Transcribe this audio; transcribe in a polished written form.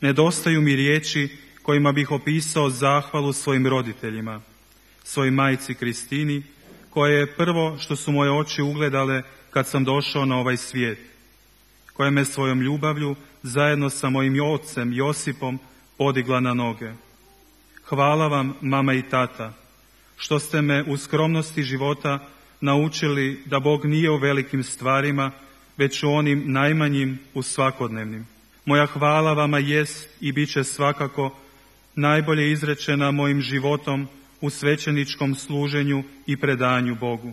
Nedostaju mi riječi kojima bih opisao zahvalu svojim roditeljima, svojoj majci Kristini, koja je prvo što su moje oči ugledale kad sam došao na ovaj svijet, koja me svojom ljubavlju zajedno sa mojim ocem Josipom podigla na noge. Hvala vam, mama i tata, što ste me u skromnosti života naučili da Bog nije u velikim stvarima, već u onim najmanjim, u svakodnevnim. Moja hvala vama jest i bit će svakako najbolje izrečena mojim životom u svećeničkom služenju i predanju Bogu.